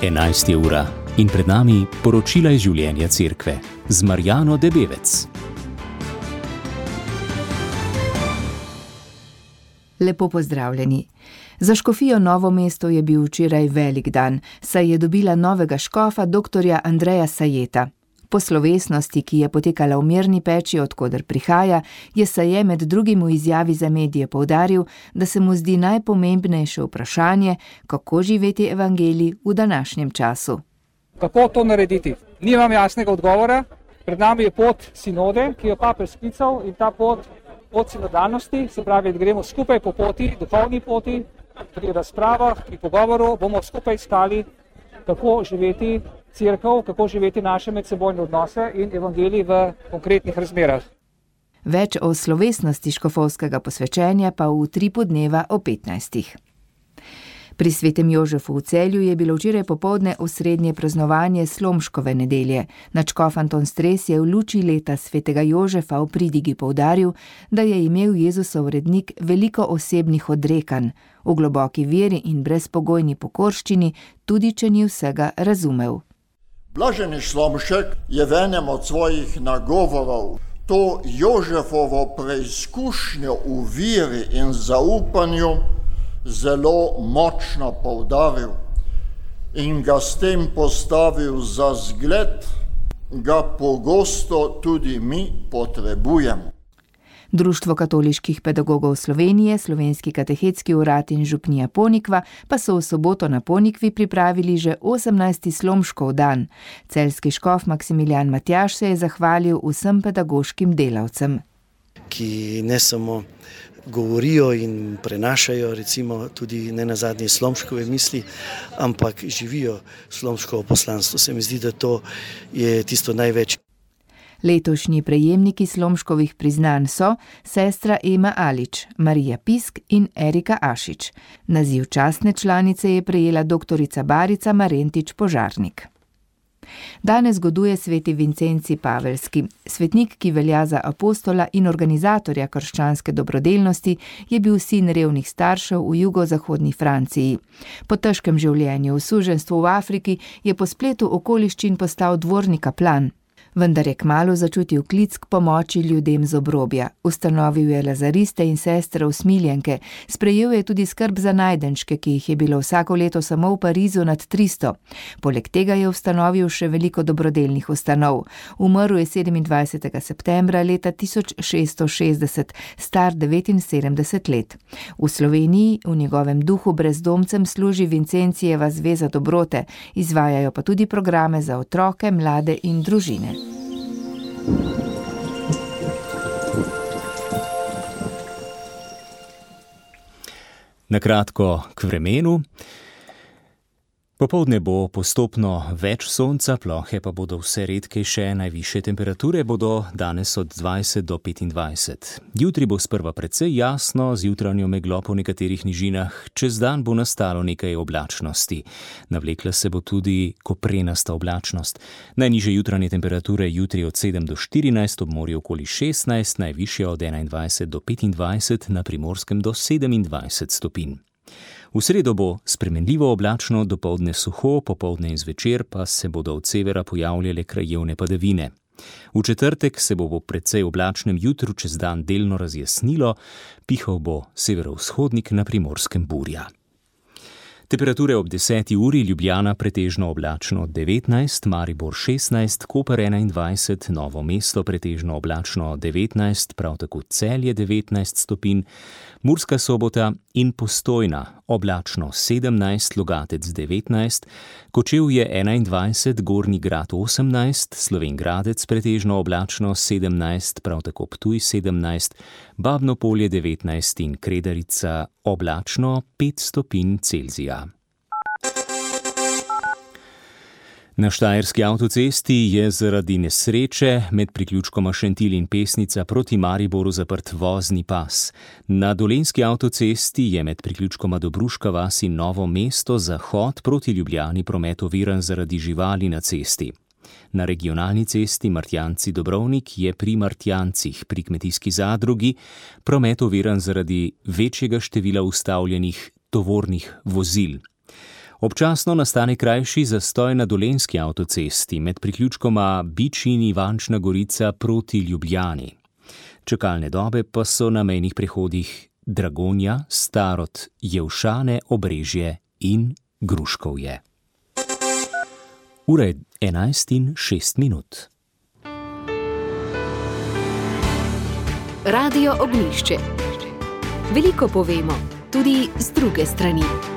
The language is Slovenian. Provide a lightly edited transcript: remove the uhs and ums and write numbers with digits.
11. ura in pred nami poročila iz življenja cerkve z Marjano Debevec. Lepo pozdravljeni. Za škofijo Novo mesto je bil včeraj velik dan, saj je dobila novega škofa dr. Andreja Sajeta. Po slovesnosti, ki je potekala v Mirni Peči, od koder prihaja, je Saje med drugim v izjavi za medije poudaril, da se mu zdi najpomembnejše vprašanje, kako živeti evangelij v današnjem času. Kako to narediti? Nimam jasnega odgovora. Pred nami je pot sinode, ki jo papež sklical, in ta pot sinodalnosti, se pravi, da gremo skupaj po poti, duhovni poti, pri razpravah, pri pogovoru bomo skupaj iskali, kako živeti cerkev, kako živeti naše medsebojne odnose in evangelij v konkretnih razmerah. Več o slovesnosti škofovskega posvečenja pa v utripu dneva o 15. Pri svetem Jožefu v Celju je bilo včeraj popoldne osrednje praznovanje Slomškove nedelje. Nadškof Anton Stres je v luči leta svetega Jožefa v pridigi poudaril, da je imel Jezusov rednik veliko osebnih odrekanj, v globoki veri in brezpogojni pokorščini, tudi če ni vsega razumel. Blaženi Slomšek je v enem od svojih nagovorov to Jožefovo preizkušnjo v veri in zaupanju zelo močno poudaril in ga s tem postavil za zgled, ga pogosto tudi mi potrebujemo. Društvo katoliških pedagogov Slovenije, Slovenski katehetski urad in župnija Ponikva pa so v soboto na Ponikvi pripravili že 18. Slomškov dan. Celjski škof Maksimilijan Matjaž se je zahvalil vsem pedagoškim delavcem. Ki ne samo govorijo in prenašajo recimo tudi nenazadnje Slomškove misli, ampak živijo Slomškovo poslanstvo. Se mi zdi, da to je tisto največ. Letošnji prejemniki Slomškovih priznanj so sestra Ema Alič, Marija Pisk in Erika Ašič. Naziv častne članice je prejela doktorica Barica Marentič Požarnik. Danes goduje sveti Vincenci Pavelski. Svetnik, ki velja za apostola in organizatorja krščanske dobrodelnosti, je bil sin revnih staršev v jugozahodni Franciji. Po težkem življenju v suženjstvu v Afriki je po spletu okoliščin postal dvorni kaplan. Vendar je kmalu začutil klic k pomoči ljudem z obrobja. Ustanovil je lazariste in sestre usmiljenke, sprejel je tudi skrb za najdenčke, ki jih je bilo vsako leto samo v Parizu nad 300. Poleg tega je ustanovil še veliko dobrodelnih ustanov. Umrl je 27. septembra leta 1660, star 79 let. V Sloveniji v njegovem duhu brezdomcem služi Vincencijeva zveza dobrote, izvajajo pa tudi programe za otroke, mlade in družine. Na kratko k vremenu. Popoldne bo postopno več sonca, plohe pa bodo vse redkejše, najvišje temperature bodo danes od 20 do 25. Jutri bo sprva precej jasno, z jutranjo meglo po nekaterih nižinah, čez dan bo nastalo nekaj oblačnosti. Navlekla se bo tudi koprenasta oblačnost. Najnižje jutranje temperature jutri od 7 do 14, ob morju okoli 16, najvišje od 21 do 25, na Primorskem do 27 stopinj. V sredo bo spremenljivo oblačno, dopoldne suho, popoldne in zvečer pa se bodo od severa pojavljale krajevne padavine. V četrtek se bo precej oblačnem jutru čez dan delno razjasnilo, pihal bo severovzhodnik, na Primorskem burja. Temperature ob 10. uri: Ljubljana pretežno oblačno 19, Maribor 16, Koper 21, Novo mesto pretežno oblačno 19, prav tako Celje 19 stopinj, Murska Sobota in Postojna oblačno 17, Logatec 19, Kočevje 21, Gornji Grad 18, Slovenj Gradec pretežno oblačno 17, prav tako Ptuj 17, Babno Polje 19 in Kredarica oblačno 5 stopinj Celzija. Na štajerski avtocesti je zaradi nesreče med priključkoma Šentilj in Pesnica proti Mariboru zaprt vozni pas. Na dolenjski avtocesti je med priključkoma Dobruška vas in Novo mesto zahod proti Ljubljani promet oviran zaradi živali na cesti. Na regionalni cesti Martjanci-Dobrovnik je pri Martjancih pri kmetijski zadrugi promet oviran zaradi večjega števila ustavljenih tovornih vozil. Občasno nastane krajši zastoj na Dolenjski avtocesti med priključkoma Bič in Ivančna Gorica proti Ljubljani. Čakalne dobe pa so na mejnih prehodih Dragonja, Starod, Jelšane, Obrežje in Gruškovje. Ura je 11:06. Radio Ognjišče. Veliko povemo, tudi z druge strani.